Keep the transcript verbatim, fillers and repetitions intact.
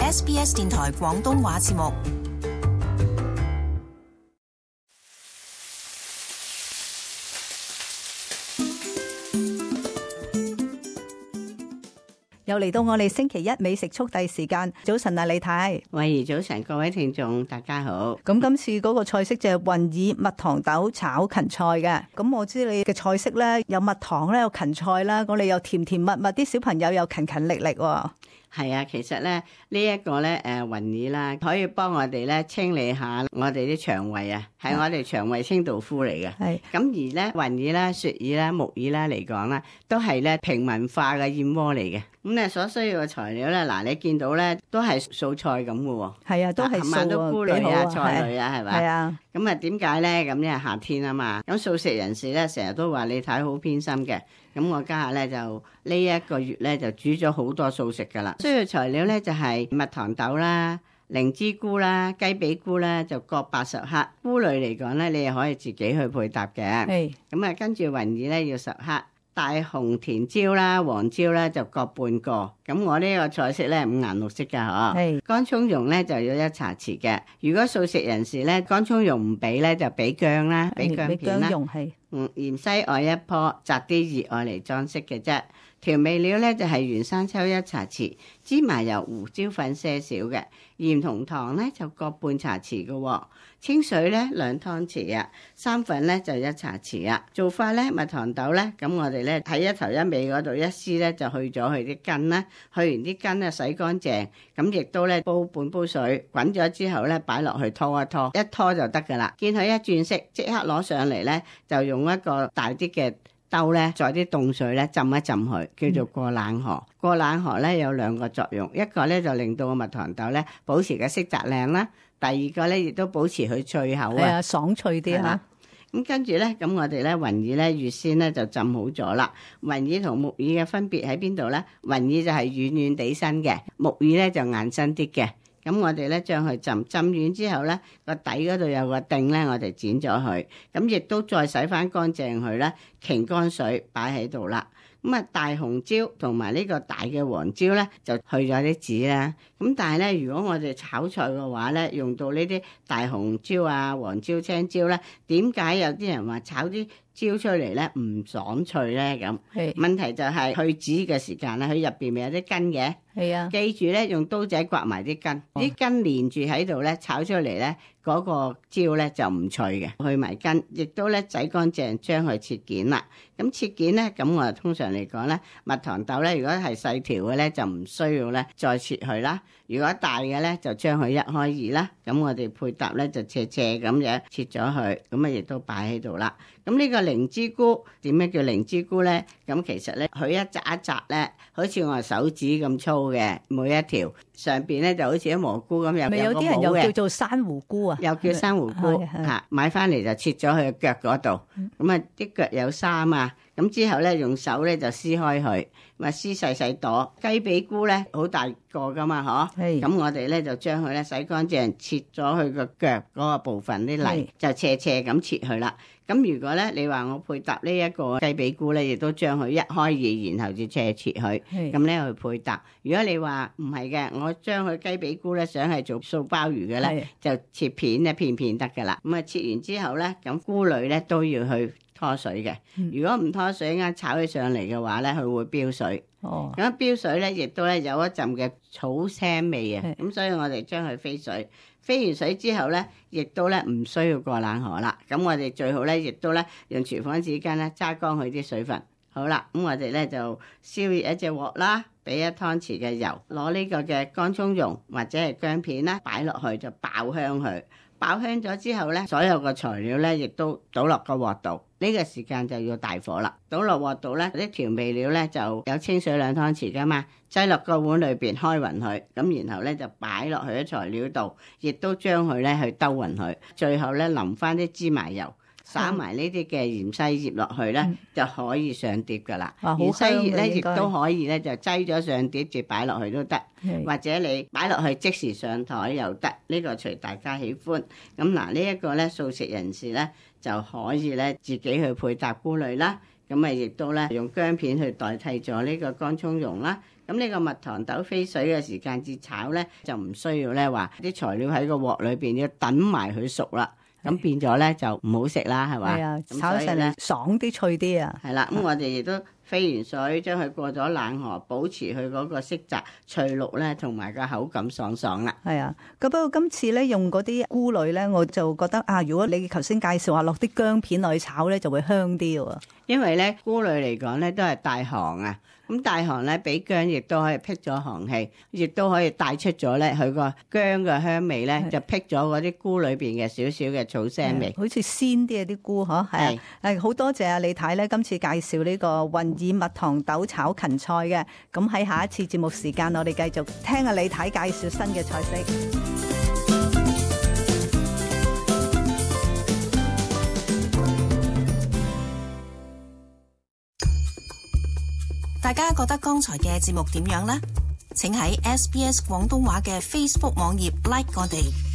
S B S 電台廣東話節目。又嚟到我哋星期一美食速遞時間，早晨啊李太，慧怡早晨，各位聽眾大家好。咁今次嗰個菜式就係雲耳蜜糖豆炒芹菜嘅。咁我知你嘅菜式咧有蜜糖咧，有芹菜啦，我哋又甜甜蜜蜜，啲小朋友又勤勤力力喎。係啊，其實咧呢一個咧誒雲耳啦，可以幫我哋咧清理下我哋啲腸胃啊，係我哋腸胃清道夫嚟嘅。係咁而咧雲耳啦、雪耳啦、木耳啦嚟講啦，都係咧平民化嘅燕窩嚟嘅。咁咧所需要嘅材料咧，嗱你見到咧都係素菜咁嘅喎。係啊，都係素啊，都菇類啊、菜類啊，係咪？係啊。咁啊點解咧？咁因為夏天啊嘛。咁素食人士咧成日都話你睇好偏心嘅。咁我家下咧就呢一個月咧就煮咗好多素食噶啦。需要材料咧就係蜜糖豆啦、靈芝菇啦、雞髀菇啦，就各八十克。菇類嚟講咧，你又可以自己去配搭嘅。係。咁啊，跟住雲耳咧要十克。大紅甜椒啦、黃椒啦就各半個，咁我呢個菜式咧五顏六色噶嗬。係乾葱蓉咧就要一茶匙嘅。如果素食人士咧乾葱蓉唔俾咧就俾薑啦，俾薑片啦。係嗯芫茜愛一棵，摘啲葉愛嚟裝飾嘅啫。調味料咧就係原生抽一茶匙，芝麻油、胡椒粉些少嘅，鹽同糖咧就各半茶匙嘅喎。清水咧兩湯匙啊，生粉咧就一茶匙啊。做法咧蜜糖豆咧，咁我哋咧喺一頭一尾嗰度一絲咧就去咗佢啲根啦，去完啲根咧洗乾淨，咁亦都咧煲半煲水，滾咗之後咧擺落去拖一拖，一拖就得噶啦。見佢一轉色，即刻攞上嚟咧，就用一個大啲嘅兜咧，再啲凍水咧浸一浸佢，叫做過冷河。嗯、過冷河咧有兩個作用，一個咧就令到個蜜糖豆咧保持嘅色澤靚啦，第二個咧亦都保持佢脆口啊，啊，爽脆啲嚇。咁跟住咧，咁我哋咧雲耳咧預先咧就浸好咗啦。雲耳同木耳嘅分別喺邊度咧？雲耳就係軟軟地身嘅，木耳咧就硬身啲嘅。咁我哋咧將佢浸浸完之後咧，個底嗰度有個頂咧，我哋剪咗佢，咁亦都再洗翻乾淨佢咧，擎乾水擺喺度啦。咁啊大紅椒同埋呢個大嘅黃椒咧，就去咗啲籽啦。咁但係咧，如果我哋炒菜嘅話咧，用到呢啲大紅椒啊、黃椒、青椒咧，點解有啲人話炒啲椒出嚟咧唔爽脆咧？咁問題就係去籽嘅時間咧，佢入邊咪有啲根嘅。係啊，記住咧，用刀仔刮埋啲根，啲、哦、根連住喺度咧，炒出嚟咧，嗰、那個椒咧就唔脆嘅。去埋根，亦都咧洗乾淨，將佢切件啦。咁切件咧，咁我通常嚟講咧，蜜糖豆咧，如果係細條嘅咧，就唔需要咧再切佢啦。如果大嘅咧，就將佢一開二啦。咁我哋配搭咧就斜斜咁樣切咗佢，咁啊亦都擺喺度啦。咁呢個靈芝菇點樣叫靈芝菇咧？咁其實咧，佢一紮一紮咧，好似我手指咁粗嘅，每一條上邊咧就好似啲蘑菇咁，有有啲人又叫做珊瑚菇啊，又叫珊瑚菇嚇。買翻嚟就切咗佢嘅腳嗰度，咁啊啲腳有沙啊，咁之後咧用手咧就撕開佢，咪撕細細朵。雞髀菇咧好大個噶嘛，嗬，咁我哋咧就將佢咧洗乾淨，切咗佢個腳嗰個部分啲泥，就斜斜咁切佢啦。咁如果咧，你話我配搭呢一個雞髀菇咧，亦都將佢一開二，然後就斜切佢，咁咧去配搭。如果你話唔係嘅，我將佢雞髀菇咧想係做素鮑魚嘅咧，就切片一片片得噶啦。咁啊切完之後咧，咁菇類咧都要去拖水嘅。如果唔拖水，啱炒起上嚟嘅話咧，佢會飆水。哦，咁飆水咧，亦都咧有一陣嘅草腥味啊。咁所以我哋將佢飛水。飛完水之後咧，亦都咧唔需要過冷河啦。咁我哋最好咧，亦都咧用廚房紙巾咧揸乾佢啲水分。好啦，咁我哋咧就燒熱一隻鑊啦，俾一湯匙嘅油，攞呢個嘅乾葱蓉或者係薑片啦，擺落去就爆香佢。爆香咗之後咧，所有嘅材料咧亦都倒落個鑊度。呢個時間就要大火啦，倒落鑊度咧，啲調味料咧就有清水兩湯匙噶嘛，擠落個碗裏邊開勻佢，咁然後咧就擺落去啲材料度，亦都將佢咧去兜勻佢，最後咧淋翻啲芝麻油，撒埋呢啲嘅芫茜葉落去咧，嗯、就可以上碟噶啦。芫茜葉咧亦都可以咧就擠咗上碟，直擺落去都得，或者你擺落去即時上台又得，呢、這個隨大家喜歡。咁嗱，呢一個咧素食人士咧就可以咧自己去配搭菇類啦。咁啊，亦都咧用薑片去代替咗呢個乾葱蓉啦。咁呢個蜜糖豆飛水嘅時間至炒咧，就唔需要咧話啲材料喺個鑊裏邊要等埋佢熟啦。咁變咗咧就唔好食啦，係嘛？係啊，炒上嚟爽啲脆啲啊！係啦，咁我哋亦都飛完水，將佢過咗冷河，保持佢嗰個色澤翠綠咧，同埋個口感爽爽啦。係啊，咁不過今次咧用嗰啲菇類咧，我就覺得啊，如果你頭先介紹話落啲薑片落去炒咧，就會香啲喎。因為咧菇類嚟講咧都係帶寒啊，咁帶寒咧俾薑亦都可以辟咗寒氣，亦都可以帶出咗咧佢個薑嘅香味咧，就辟咗嗰啲菇裏邊嘅少少嘅草腥味，好似鮮啲啊啲菇嗬。係係好多謝啊李太咧，今次介紹呢個雲耳蜜糖豆炒芹菜嘅。咁喺下一次節目時間，我哋繼續聽下李太介紹新嘅菜式。大家覺得剛才嘅節目點樣呢？請喺 S B S 廣東話嘅 Facebook 網頁 like 我哋。